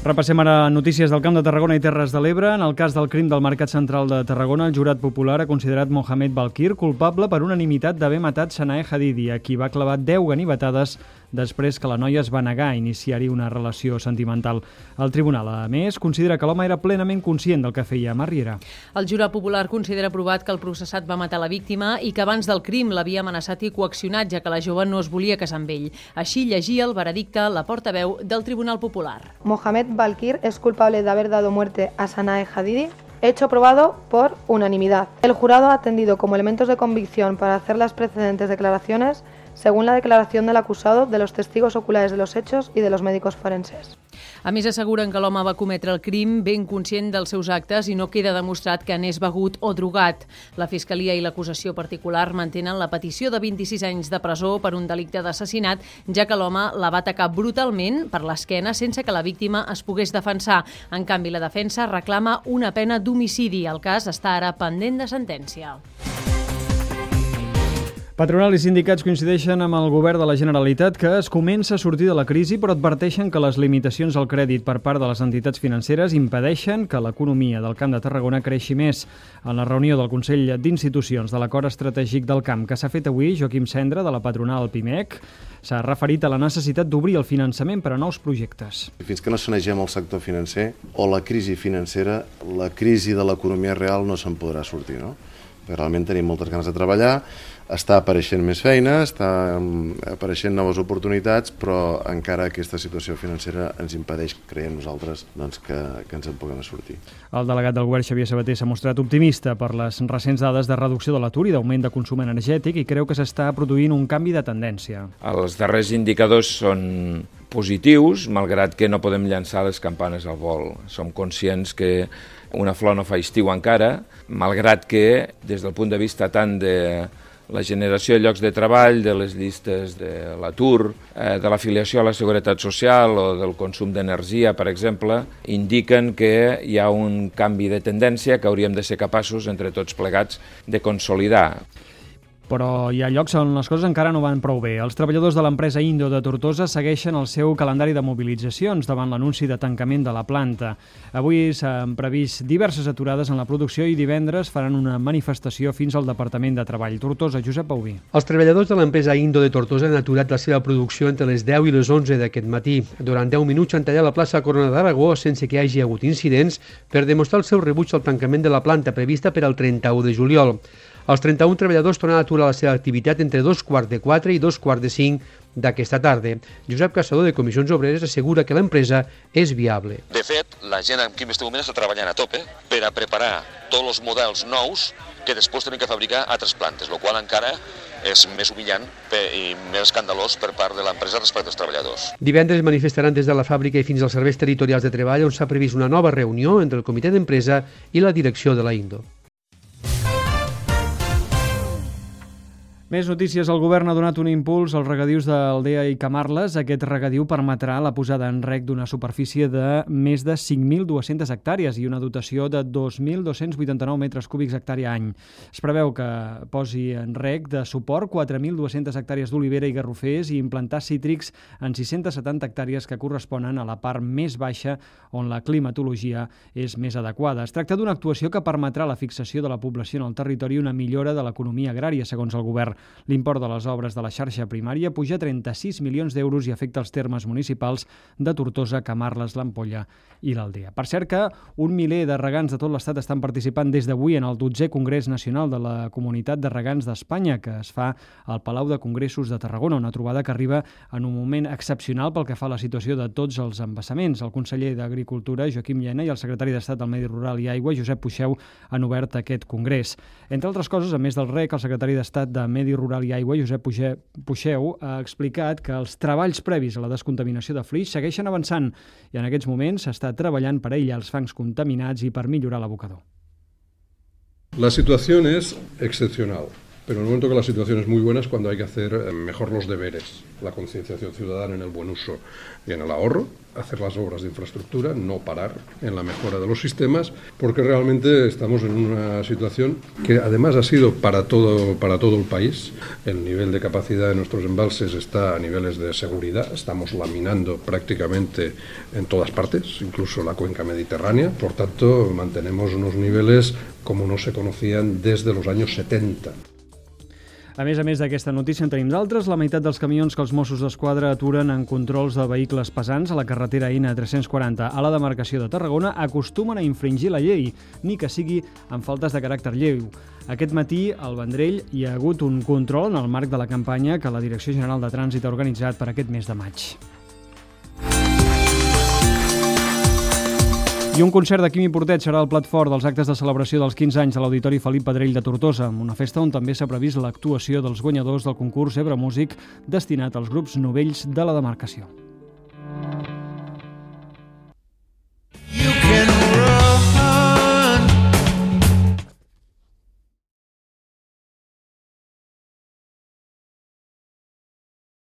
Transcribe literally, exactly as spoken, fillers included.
Repassem ara notícies del Camp de Tarragona i Terres de l'Ebre. En el cas del crim del Mercat Central de Tarragona, el jurat popular ha considerat Mohamed Balkir culpable per unanimitat d'haver matat Sanae Hadidi, a qui va clavar deu ganivetades després que la noia es va negar a iniciar-hi una relació sentimental. El tribunal, a més, considera que l'home era plenament conscient del que feia a Riera. El jurat popular considera provat que el processat va matar la víctima i que abans del crim l'havia amenaçat i coaccionat, ja que la jove no es volia casar amb ell. Així llegia el veredicte la portaveu del Tribunal Popular. Mohamed Balkir es culpable de haber dado muerte a Sanae Hadidi, hecho probado por unanimidad. El jurado ha atendido como elementos de convicción para hacer las precedentes declaraciones según la declaración del acusado, de los testigos oculares de los hechos y de los médicos forenses. A més, asseguren que l'home va cometre el crim ben conscient dels seus actes i no queda demostrat que anés begut o drogat. La Fiscalia i l'acusació particular mantenen la petició de vint-i-sis anys de presó per un delicte d'assassinat, ja que l'home la va atacar brutalment per l'esquena sense que la víctima es pogués defensar. En canvi, la defensa reclama una pena d'homicidi. El cas està ara pendent de sentència. Patronal i sindicats coincideixen amb el govern de la Generalitat que es comença a sortir de la crisi, però adverteixen que les limitacions al crèdit per part de les entitats financeres impedeixen que l'economia del Camp de Tarragona creixi més. En la reunió del Consell d'Institucions de l'Acord Estratègic del Camp que s'ha fet avui, Joaquim Cendra, de la patronal Pimec, s'ha referit a la necessitat d'obrir el finançament per a nous projectes. Fins que no sanegem el sector financer o la crisi financera, la crisi de l'economia real no se'n podrà sortir, no? Realment tenim moltes ganes de treballar, està apareixent més feina, està apareixent noves oportunitats, però encara aquesta situació financera ens impedeix, creiem nosaltres, doncs, que, que ens en puguem sortir. El delegat del govern, Xavier Sabater, s'ha mostrat optimista per les recents dades de reducció de l'atur i d'augment de consum energètic i creu que s'està produint un canvi de tendència. Els darrers indicadors són positius, malgrat que no podem llançar les campanes al vol. Som conscients que una flor no fa estiu encara, malgrat que, des del punt de vista tant de la generació de llocs de treball, de les llistes de l'atur, eh, de l'afiliació a la Seguretat Social o del consum d'energia, per exemple, indiquen que hi ha un canvi de tendència que hauríem de ser capaços, entre tots plegats, de consolidar. Però hi ha llocs on les coses encara no van prou bé. Els treballadors de l'empresa Indo de Tortosa segueixen el seu calendari de mobilitzacions davant l'anunci de tancament de la planta. Avui s'han previst diverses aturades en la producció i divendres faran una manifestació fins al Departament de Treball. Tortosa, Josep Pauví. Els treballadors de l'empresa Indo de Tortosa han aturat la seva producció entre les deu i les onze d'aquest matí. Durant deu minuts han tallat la plaça Corona d'Aragó sense que hi hagi hagut incidents per demostrar el seu rebuig al tancament de la planta prevista per al trenta-u de juliol. Els trenta-un treballadors tornen a aturar la seva activitat entre dos quarts de quatre i dos quarts de cinc d'aquesta tarda. Josep Caçador, de Comissions Obreres, assegura que l'empresa és viable. De fet, la gent en aquest moment està treballant a tope per a preparar tots els models nous que després tenen que fabricar a altres plantes, el qual encara és més humillant i més escandalós per part de l'empresa respecte als treballadors. Divendres manifestaran des de la fàbrica i fins als serveis territorials de treball, on s'ha previst una nova reunió entre el comitè d'empresa i la direcció de la Indo. Més notícies. El govern ha donat un impuls als regadius d'Aldea i Camarles. Aquest regadiu permetrà la posada en reg d'una superfície de més de cinc mil dues-centes hectàrees i una dotació de dos mil dos-cents vuitanta-nou metres cúbics hectàrea any. Es preveu que posi en reg de suport quatre mil dues-centes hectàrees d'olivera i garrofers i implantar cítrics en sis-centes setanta hectàrees que corresponen a la part més baixa on la climatologia és més adequada. Es tracta d'una actuació que permetrà la fixació de la població en el territori i una millora de l'economia agrària, segons el govern. L'import de les obres de la xarxa primària puja a trenta-sis milions d'euros i afecta els termes municipals de Tortosa, Camarles, l'Ampolla i l'Aldea. Per cert que un miler de regants de tot l'estat estan participant des d'avui en el dotzè Congrés Nacional de la Comunitat de Regants d'Espanya, que es fa al Palau de Congressos de Tarragona, una trobada que arriba en un moment excepcional pel que fa a la situació de tots els embassaments. El conseller d'Agricultura, Joaquim Llena, i el secretari d'Estat del Medi Rural i Aigua, Josep Puixeu, han obert aquest congrés. Entre altres coses, a més del R E C, el secretari d'Estat de Medi Rural i Aigua, Josep Puixeu, ha explicat que els treballs previs a la descontaminació de flix segueixen avançant i en aquests moments s'està treballant per aïllar els fangs contaminats i per millorar l'abocador. La situación es excepcional. Pero en el momento que la situación es muy buena es cuando hay que hacer mejor los deberes, la concienciación ciudadana en el buen uso y en el ahorro, hacer las obras de infraestructura, no parar en la mejora de los sistemas, porque realmente estamos en una situación que además ha sido para todo, para todo el país. El nivel de capacidad de nuestros embalses está a niveles de seguridad, estamos laminando prácticamente en todas partes, incluso la cuenca mediterránea, por tanto mantenemos unos niveles como no se conocían desde los años setenta. A més a més d'aquesta notícia en tenim d'altres. La meitat dels camions que els Mossos d'Esquadra aturen en controls de vehicles pesants a la carretera I N tres-cents quaranta a la demarcació de Tarragona acostumen a infringir la llei, ni que sigui amb faltes de caràcter lleu. Aquest matí, al Vendrell, hi ha hagut un control en el marc de la campanya que la Direcció General de Trànsit ha organitzat per aquest mes de maig. I un concert de Quimi Portet serà el plat fort dels actes de celebració dels quinze anys de l'Auditori Felip Pedrell de Tortosa, una festa on també s'ha previst l'actuació dels guanyadors del concurs Ebre Músic destinat als grups novells de la demarcació.